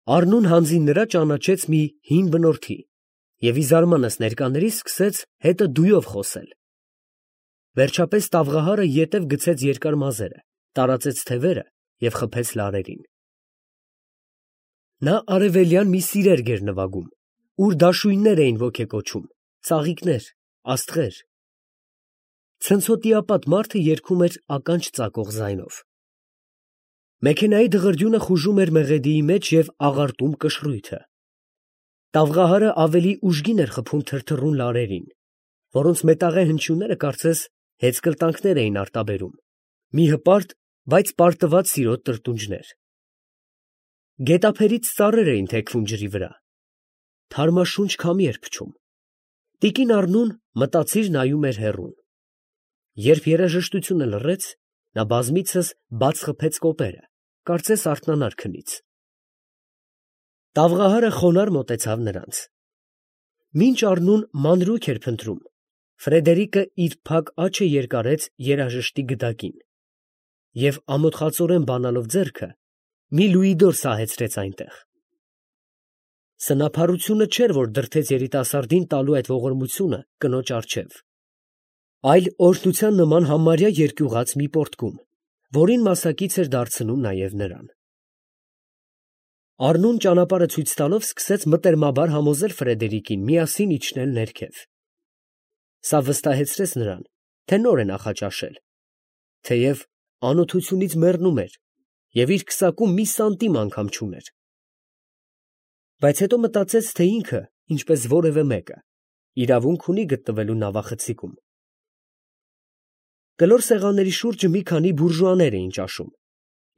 Առնուն հանձին նրա ճանաչեց մի հին բնորդի և ի զարմանս ներկաներիս սկսեց հետը դույով խոսել. վերջապես տավղահարը ետև գցեց երկար մազերը, տարածեց թևերը և խփեց լարերին։ Նա արևելյան մի սիրերգ էր նվագում, ուր դաշույններ էին ոգեկոչում, ծաղիկներ, աստղեր։ Ցնցոտիապատ մարդը երգում էր ականջ ծակող ձայնով։ Մեքենայի դղրդյունը խուժում էր մեղեդիի մեջ և աղարտում կշռույթը։ Տավղահարը ավելի ուժգին էր խփում թրթռուն լարերին, որոնց մետաղե հնչյունները կարծես հեծկլտանքներ էին արտաբերում, մի հպարտ, բայց պարտված սիրո տրտունջներ։ Գետափերից ծառեր էին թեքվում ջրի վրա։ Թարմաշունչ քամի էր փչում։ Տիկին Առնուն մտածիր նայում էր հեռուն։ Երբ երաժշտությունը լռեց, նա բազմիցս բաց խփեց կոպերը, կարծես արթնանար քնից։ Տավղահարը խոնարհ մոտեցավ նրանց։ Մինչ Առնուն մանրուք էր փնտրում, Ֆրեդերիկը իր փակ աջը երկարեց երաժշտի գդակին և ամոթխածորեն բանալով ձեռքը մի լուիդոր սահեցրեց այնտեղ։ Սնափառությունը չէր, որ դրդեց երիտասարդին տալու այդ ողորմությունը կնոջ առջև, այլ օրհնության նման համարյա երկյուղած մի պոռթկում, որին մասակից էր դարձնում նաև նրան։ Առնուն ճանապարհը ցույց տալով սկսեց մտերմաբար համոզել Ֆրեդերիկին միասին իջնել ներքև։ Սա վստահեցրեց նրան, թե նոր է նախաճաշել, թեև անօթությունից մեռնում էր և իր քսակում մի սանտիմ անգամ չուներ։ Բայց հետո մտածեց, թե ինքը, ինչպես որևէ մեկը, իրավունք ունի գտնվելու նավախցիկում։ Կլոր սեղանների շուրջը մի քանի բուրժուաներ էին ճաշում,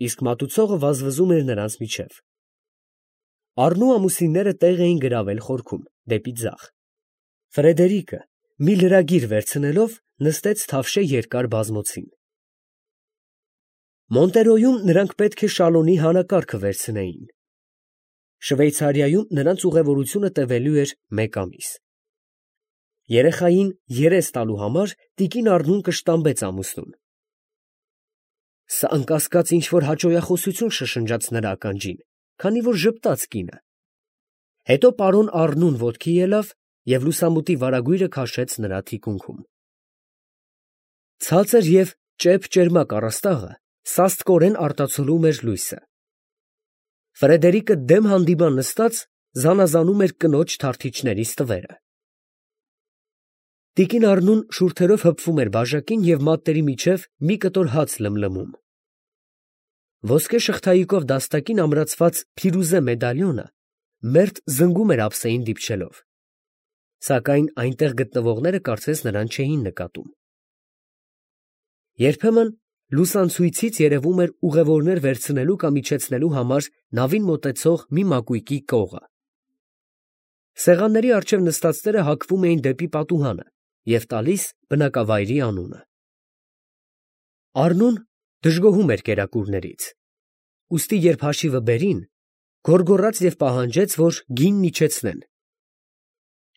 իսկ մատուցողը վազվզում էր նրանց միջև։ Առնու ամուսինները տեղ էին գրավել խորքում, դեպի ձախ։ Ֆրեդերիկը, մի լրագիր վերցնելով, նստեց թավշե երկար բազմոցին։ Մոնտերոյում նրանք պետք է շալոնի հանակարգը վերցնեին։ Շվեյցարիայում նրանց ուղևորությունը տևելու էր 1 ամիս։ Երեխային երես տալու համար տիկին Առնուն կշտամբեց ամուսնուն։ Սա անկասկած ինչ֊որ հաճոյախոսություն շշնջաց նրա ականջին, քանի որ ժպտաց կինը։ Հետո պարոն Առնուն ոտքի ելավ և լուսամուտի վարագույրը քաշեց նրա թիկունքում։ Ցածր և ճեպ֊ճերմակ առաստաղը սաստկորեն արտացոլում էր լույսը։ Ֆրեդերիկը դեմ հանդիման նստած զանազանում էր կնոջ թարթիչների ստվերը։ Տիկին Առնուն շուրթերով հպվում էր բաժակին և մատների միջև մի կտոր հաց լմլմում։ Ոսկե շղթայիկով դաստակին ամրացված փիրուզե մեդալյոնը մերթ զնգում էր ափսեին դիպչելով, սակայն այնտեղ գտնվողները կարծես նրան չէին նկատում։ Երբեմն լուսանցույցից երևում էր ուղևորներ վերցնելու կամ իջեցնելու համար նավին մոտեցող մի մակույկի կողը։ Սեղանների առջև նստածները հակվում էին դեպի պատուհանը և տալիս բնակավայրի անունը։ Առնուն դժգոհում էր կերակուրներից, ուստի երբ հաշիվը բերին, գոռգոռաց և պահանջեց, որ գինն իջեցնեն։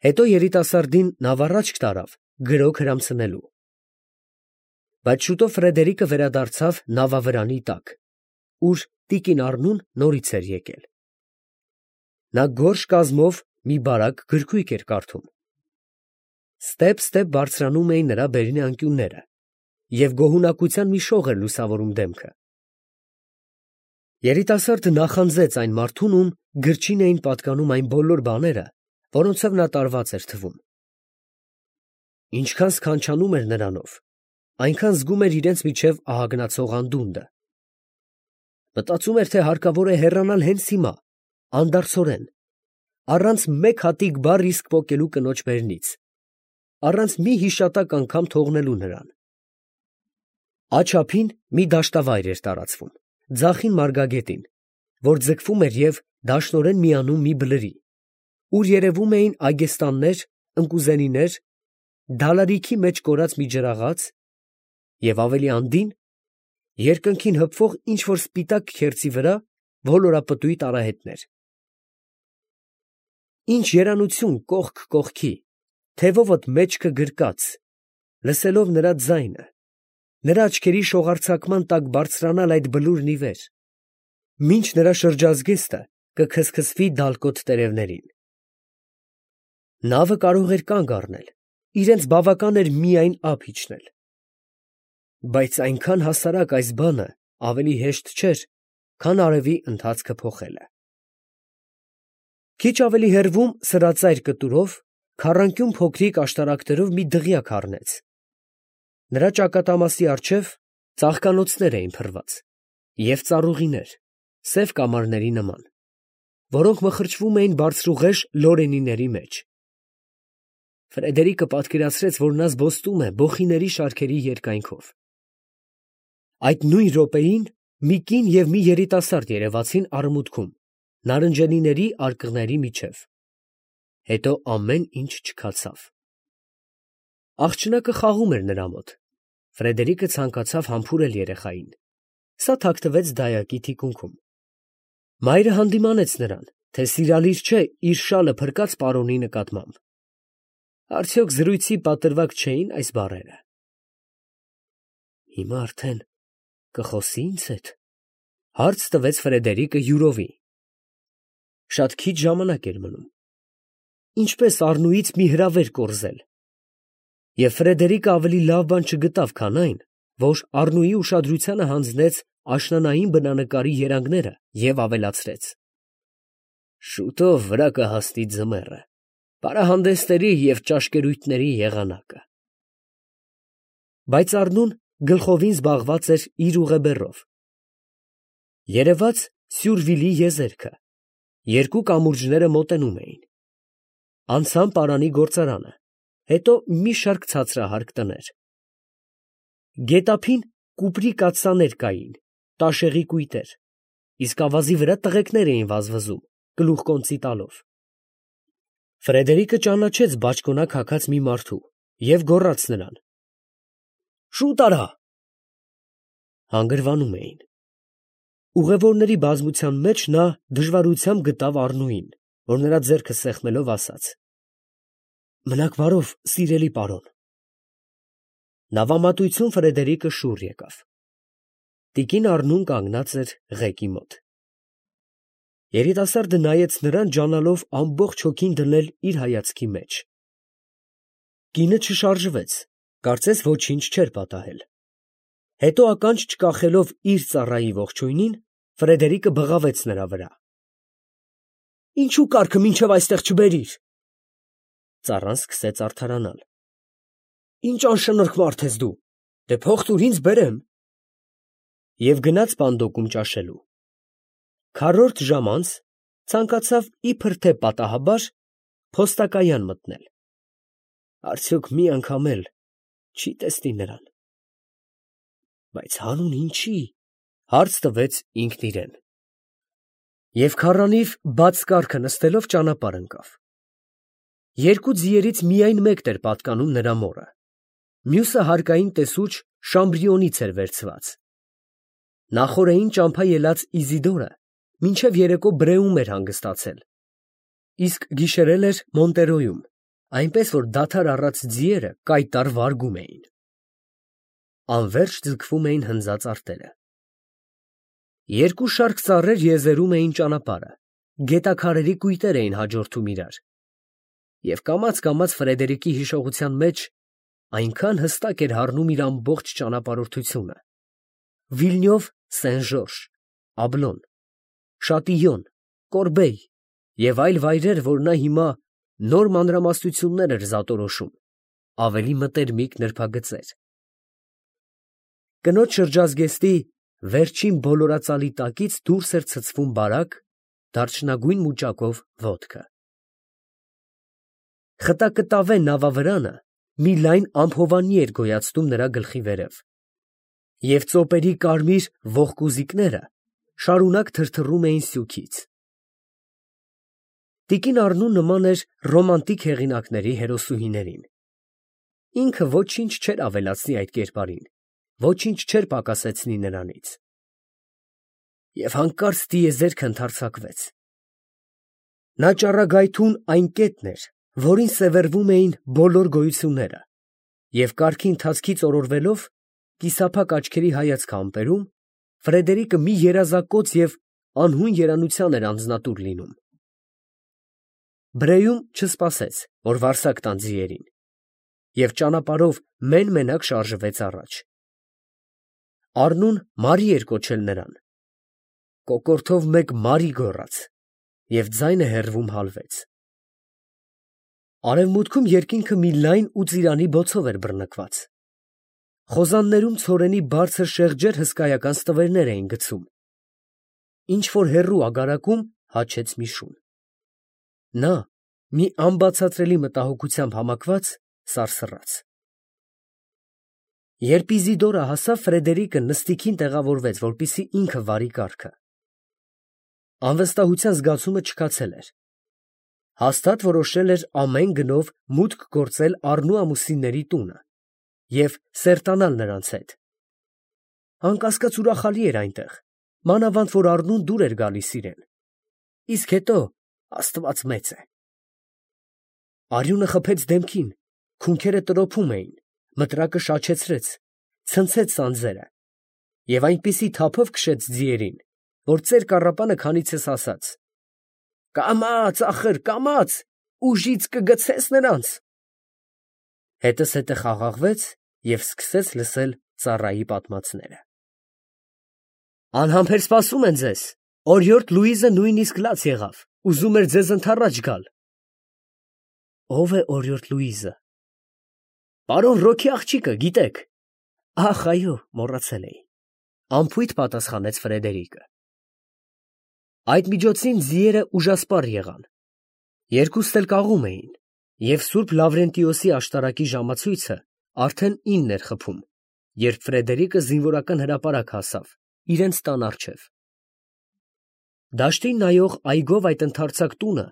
Հետո երիտասարդին նավառաջք տարավ գրոք հրամցնելու։ Բայց շուտով Ֆրեդերիկը վերադարձավ նավավրանի տակ, ուր տիկին Առնուն նորից էր եկել։ Նա գորշ կազմով մի բարակ գրքույկ էր կարդում։ Ստեպ բարձրանում էին նրա բերնի անկյունները, և գոհունակության մի շող էր լուսավորում դեմքը։ Երիտասարդը նախանձեց այն մարդուն, ում գրչին էին պատկանում այն բոլոր բաները, որոնցով նա տարված էր թվում։ Ինչքան սքանչանում էր նրանով, այնքան զգում էր իրենց միջև ահագնացող անդունդը։ Մտածում էր, թե հարկավոր է հեռանալ հենց հիմա, անդարձորեն, առանց մեկ հատիկ բառ իսկ պոկելու կնոջ բերնից, առանց մի հիշատակ անգամ թողնելու նրան։ Աջ ափին մի դաշտավայր էր տարածվում, ձախին մարգագետին, որ ձգվում էր և դաշնորեն միանում մի բլրի, ուր երևում էին այգեստաններ, ընկուզենիներ, դալարիքի մեջ կորած մի ջրաղաց և ավելի անդին, երկնքին հպվող ինչ֊որ սպիտակ քերծի վրա ոլորապտույտ արահետներ։ Ինչ երանություն կողք կողքի, թևովդ մեջքը գրկած, լսելով նրա ձայնը, նրա աչքերի շողարձակման տակ բարձրանալ այդ բլուրն ի վեր, մինչ նրա շրջազգեստը կքսքսվի դալկոտ տերևներին։ Նավը կարող էր կանգ առնել, իրենց բավական էր միայն ափ իջնել։ Բայց այնքան հասարակ այս բանը ավելի հեշտ չէր, քան արևի ընթացքը փոխելը։ Քիչ ավելի հեռվում սրածայր կտուրով, քառանկյուն փոքրիկ աշտարակներով մի դղյակ առնեց։ Նրա ճակատամասի առջև ծաղկանոցներ էին փռված և ծառուղիներ, սև կամարների նման, որոնք մխրճվում էին բարձրուղեշ լորենիների մեջ։ Ֆրեդերիկը պատկերացրեց, որ նա զբոստում է բոխիների շարքերի երկայնքով։ Այդ նույն րոպեին մի կին և մի երիտասարդ երևացին արմուտքում, նարնջենիների արկղների միջև։ Հետո ամեն ինչ չքացավ։ Աղջնակը խաղում էր նրա մոտ։ Ֆրեդերիկը ցանկացավ համբուրել երեխային։ Սա թաքնվեց դայակի թիկունքում։ Մայրը հանդիմանեց նրան, թե սիրալիր չէ իր շալը փրկած պարոնի նկատմամբ։ Արդյոք զրույցի պատրվակ չէին այս բառերը։ Հիմա արդեն կխոսի ինձ հետ, հարց տվեց Ֆրեդերիկը յուրովի։ Շատ քիչ ժամանակ էր մնում։ Ինչպես Առնուից մի հրավեր կորզել։ Եվ Ֆրեդերիկը ավելի լավ բան չգտավ, քան այն, որ Առնուի ուշադրությանը հանձնեց աշնանային բնանկարի երանգները և ավելացրեց. շուտով վրա կհասնի ձմեռը, պարահանդեսների և ճաշկերույթների եղանակը։ Բայց Առնուն գլխովին զբաղված էր իր ուղեբեռով։ Երևաց Սյուրվիլի եզերքը, երկու կամուրջները մոտենում էին։ Անցան պարանի գործարանը, հետո մի շարք ցածրահարկ տներ։ Գետափին կուպրի կաթսաներ կային, տաշեղի կույտեր, իսկ ավազի վրա տղեկներ էին վազվզում, գլուխկոնծի տալով։ Ֆրեդերիկը ճանաչեց բաճկոնակ հագած մի մարդու և գոռաց նրան. «Շուտ արա»։ Հանգրվանում էին։ Ուղևորների բազմության մեջ նա դժվարությամբ գտավ Առնուին, որ նրա ձեռքը սեղմելով ասաց. «Մնաք բարով, սիրելի պարոն»։ Նավամատույցում Ֆրեդերիկը շուռ եկավ։ Տիկին Առնուն կանգնած էր ղեկի մոտ։ Երիտասարդը նայեց նրան, ջանալով ամբողջ հոգին դնել իր հայացքի մեջ։ Կինը չշարժվեց, կարծես ոչինչ չէր պատահել։ Հետո ականջ չկախելով իր ծառայի ողջույնին, Ֆրեդերիկը բղավեց նրա վրա. «Ինչու կառքը մինչև այստեղ չբերիր»։ Ծառան սկսեց արդարանալ։ «Ինչ անշնորհք մարդ ես դու, դե փող տուր ինձ բերեմ»։ Եվ գնաց պանդոկում ճաշելու։ Քառորդ ժամ անց ցանկացավ իբր թե պատահաբար փոստակայան մտնել։ Արդյոք մի անգամ էլ չի տեսնի նրան։ Բայց հանուն ինչի, հարց տվեց ինքն իրեն։ Եվ քառանիվ բաց կառքը նստելով ճանապարհ ընկավ։ Երկու ձիերից միայն մեկն էր պատկանում նրա մորը, մյուսը հարկային տեսուչ Շամբրիոնից էր վերցված։ Նախօրեին ճամփա ելած Իզիդորը մինչև երեկո Բրեում էր հանգստացել, իսկ գիշերել էր Մոնտերոյում, այնպես որ դադար առած ձիերը կայտառ վարգում էին։ Անվերջ ձգվում էին հնձած արտերը։ Երկու շարք ծառեր եզերում էին ճանապարհը, գետաքարերի կույտեր էին հաջորդում իրար։ Եվ կամաց Ֆրեդերիկի հիշողության մեջ այնքան հստակ էր հառնում իր ամբողջ ճանապարհորդությունը. Վիլնյով, Սեն֊Ժորժ, Աբլոն, Շատիյոն, Կորբեյ և այլ վայրեր, որ նա հիմա նոր մանրամասնություններ էր զատորոշում, ավելի մտերմիկ նրբագծեր։ Կնոջ շրջազգեստի վերջին բոլորածալի տակից դուրս էր ցցվում բարակ, դարչնագույն մուճակով ոտքը։ Խտակտավե նավավրանը մի լայն ամփովանի էր գոյացնում նրա գլխի վերև, և ծոպերի կարմիր ողկուզիկները շարունակ թրթռում էին սյուքից։ Տիկին Առնուն նման էր ռոմանտիկ հեղինակների հերոսուհիներին։ Ինքը ոչինչ չէր ավելացնի այդ կերպարին, ոչինչ չէր պակասեցնի նրանից։ Եվ հանկարծ տիեզերքը ընդարձակվեց։ Նա ճառագայթուն այն կետն էր, որին սևեռվում էին բոլոր գոյությունները, և կառքի ընթացքից օրորվելով, կիսափակ աչքերի հայացքը ամպերում, Ֆրեդերիկը մի երազակոծ և անհուն երանության էր անձնատուր լինում։ Բրեյում չսպասեց, որ վարսակ տան ձիերին, և ճանապարհով մեն֊մենակ շարժվեց առաջ։ Առնուն Մարի էր կոչել նրան։ Կոկորդով մեկ Մարի գոռաց, և ձայնը հեռվում հալվեց։ Արևմուտքում երկինքը մի լայն ու ծիրանի բոցով էր բռնկված։ Խոզաններում ցորենի բարձր շեղջեր հսկայական ստվերներ էին գցում։ Ինչ-որ հեռու ագարակում հաչեց մի շուն։ Նա, մի անբացատրելի մտահոգությամբ համակված, սարսռաց։ Երբ Իզիդորը հասավ, Ֆրեդերիկը նստիքին տեղավորվեց, որպեսզի ինքը վարի կառքը։ Անվստահության զգացումը չքացել էր։ Հաստատ որոշել էր ամեն գնով մուտք գործել առնու ամուսինների տունը և սերտանալ նրանց հետ։ Անկասկած ուրախալի էր այնտեղ, մանավանդ որ առնուն դուր էր գալիս իրեն։ Իսկ հետո Աստված մեծ է։ Արյունը խփեց դեմքին, քունքերը տրոփում էին, մտրակը շաչեցրեց, ցնցեց սանձերը և այնպիսի թափով քշեց ձիերին, որ ծեր կառապանը քանիցս ասաց. «Կամաց, ախր, կամաց, ուժից կգցես նրանց»։ Հետզհետե խաղաղվեց և սկսեց լսել ծառայի պատմածները։ «Անհամբեր սպասում են ձեզ, օրիորդ Լուիզը նույնիսկ լաց եղավ, ուզում էր ձեզ ընդառաջ գալ»։ Ո՞վ է օրիորդ Լուիզը։ Պարոն Ռոքի աղջիկը, գիտեք։ Ախ, այո, մոռացել էի, անփույթ պատասխանեց Ֆրեդերիկը։ Այդ միջոցին ձիերը ուժասպառ եղան։ Երկուստ էլ կաղում էին, և Սուրբ Լավրենտիոսի աշտարակի ժամացույցը արդեն 9 էր խփում, երբ Ֆրեդերիկը զինվորական հրապարակ հասավ իրենց տան առջև։ Դաշտին նայող այգով այդ ընդարձակ տունը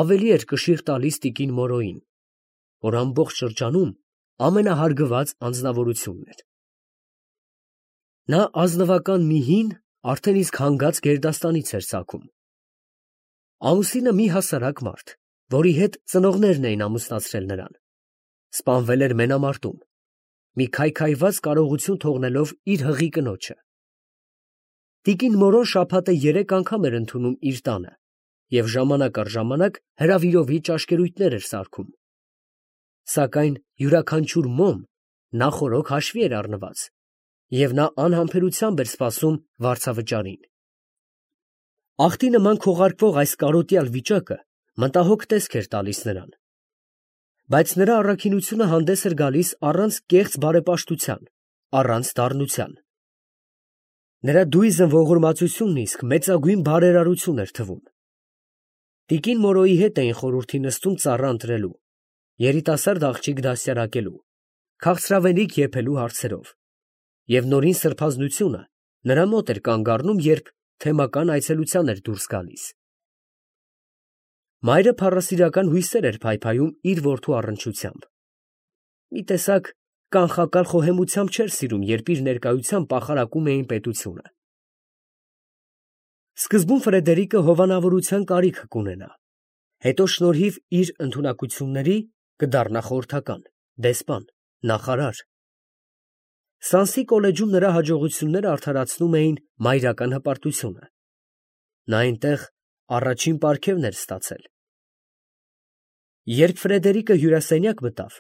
ավելի էր կշիռ տալիս տիկին Մորոյին, որ ամբողջ շրջանում ամենահարգված անձնավորությունն էր։ Նա ազնվական մի հին, արդեն իսկ հանգած գերդաստանից էր ծագում։ Ամուսինը մի հասարակ մարդ, որի հետ ծնողներն էին ամուսնացրել նրան, սպանվել էր մենամարտում, մի քայքայված կարողություն թողնելով իր հղի կնոջը։ Տիկին Մորոն շաբաթը 3 անգամ էր ընդունում իր տանը և ժամանակ առ ժամանակ հրավիրովի ճաշկերույթներ էր սարքում։ Սակայն յուրաքանչյուր մոմ նախօրոք հաշվի էր առնված, և նա անհամբերությամբ էր սպասում վարձավճարին։ Աղբի նման քողարկվող այս կարոտյալ վիճակը մտահոգ տեսք էր տալիս նրան, բայց նրա առաքինությունը հանդես էր գալիս առանց կեղծ բարեպաշտության, առանց դառնության։ Նրա դույզն ողորմածությունն իսկ մեծագույն բարերարություն էր թվում։ Տիկին Մորոյի հետ էին խորհրդի նստում ծառա ընտրելու, երիտասարդ աղջիկ դաստիարակելու, քաղցրավենիք եփելու հարցերով, և նորին սրբազնությունը նրա մոտ էր կանգ առնում, երբ թեմական այցելության էր դուրս գալիս։ Մայրը փառասիրական հույսեր էր փայփայում իր որդու առնչությամբ։ Մի տեսակ կանխակալ խոհեմությամբ չէր սիրում, երբ իր ներկայությամբ պախարակում էին պետությունը։ Սկզբում Ֆրեդերիկը հովանավորության կարիք կունենա, հետո շնորհիվ իր ընդունակությունների կդառնա խորհրդական, դեսպան, նախարար։ Սանսի կոլեջում նրա հաջողությունները արդարացնում էին մայրական հպարտությունը։ Նա այնտեղ առաջին պարգևն էր ստացել։ Երբ Ֆրեդերիկը հյուրասենյակ մտավ,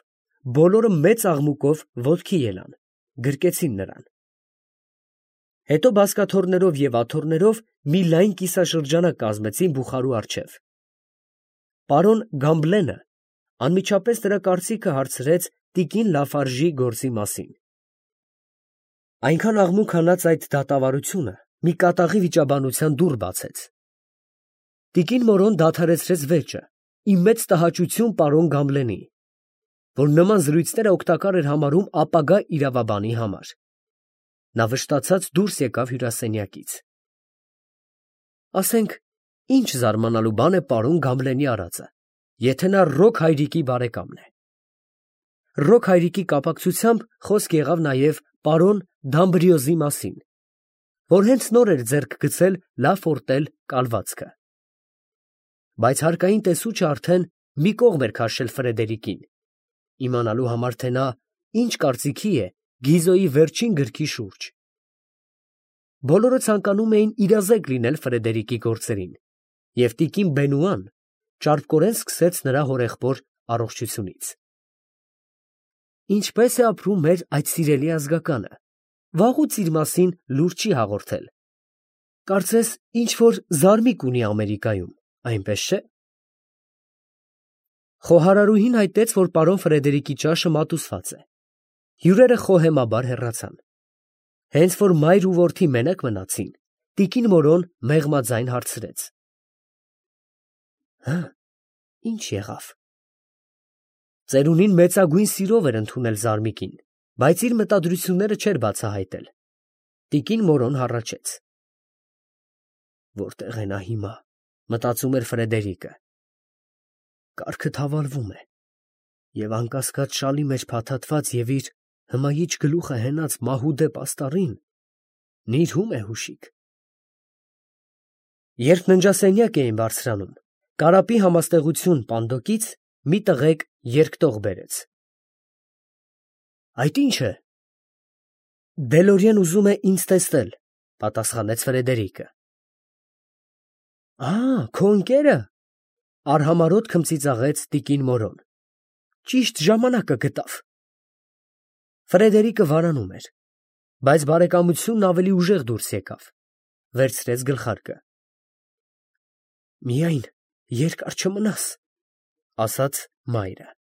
բոլորը մեծ աղմուկով ոտքի ելան, գրկեցին նրան։ Հետո բազկաթոռներով և աթոռներով մի լայն կիսաշրջանակ կազմեցին բուխարու առջև։ Պարոն Գամբլենը անմիջապես նրա կարծիքը հարցրեց տիկին Լաֆարժի գործի մասին։ Այնքան աղմուկ հանած այդ դատավարությունը մի կատաղի վիճաբանության դուռ բացեց։ Տիկին Մորոն դադարեցրեց վեճը, ի մեծ տհաճություն պարոն Գամբլենի, որ նման զրույցները օգտակար էր համարում ապագա իրավաբանի համար։ Նա վշտացած դուրս եկավ հյուրասենյակից։ Ասենք, ինչ զարմանալու բան է պարոն Գամբլենի արածը, եթե նա Ռոք հայրիկի բարեկամն է։ Ռոք հայրիկի կապակցությամբ խոսք եղավ նաև պարոն Դամբրիոզի մասին, որ հենց նոր էր ձեռք գցել Լա Ֆորտել կալվածքը։ Բայց հարկային տեսուչը արդեն մի կողմ էր քաշել Ֆրեդերիկին, իմանալու համար, թե նա ինչ կարծիքի է Գիզոյի վերջին գրքի շուրջ։ Բոլորը ցանկանում էին իրազեկ լինել Ֆրեդերիկի գործերին, և տիկին Բենուան ճարպկորեն սկսեց նրա հորեղբոր առողջությունից։ Ինչպե՞ս է ապրում մեր այդ սիրելի ազգականը, վաղուց իր մասին լուր չի հաղորդել, կարծես ինչ֊որ զարմիկ ունի Ամերիկայում, այնպես չէ՞։ Խոհարարուհին հայտնեց, որ պարոն Ֆրեդերիկի ճաշը մատուցված է։ Հյուրերը խոհեմաբար հեռացան։ Հենց որ մայր ու որդի մենակ մնացին, տիկին Մորոն մեղմաձայն հարցրեց. Հը, ի՞նչ եղավ։ Ծերունին մեծագույն սիրով էր ընդունել զարմիկին, բայց իր մտադրությունները չէր բացահայտել։ Տիկին Մորոն հառաչեց։ Որտե՞ղ է նա հիմա, մտածում էր Ֆրեդերիկը։ Կառքը թավալվում է, և անկասկած շալի մեջ փաթաթված և իր հմայիչ գլուխը հենած մահուդե պաստառին նիրհում է հուշիկ։ Երբ ննջասենյակ էին բարձրանում, կարապի համաստեղություն պանդոկից մի տղեկ երգտող բերեց։ Այդ ի՞նչ է։ Դելորիեն ուզում է ինձ տեսնել, պատասխանեց Ֆրեդերիկը։ Քո ընկե՞րը, արհամարհոտ քմծիծաղեց տիկին Մորոն։ Ճիշտ ժամանակը գտավ։ Ֆրեդերիկը վարանում էր, բայց բարեկամությունն ավելի ուժեղ դուրս եկավ, վերցրեց գլխարկը։ Միայն երկար չմնաս, ասաց մայրը։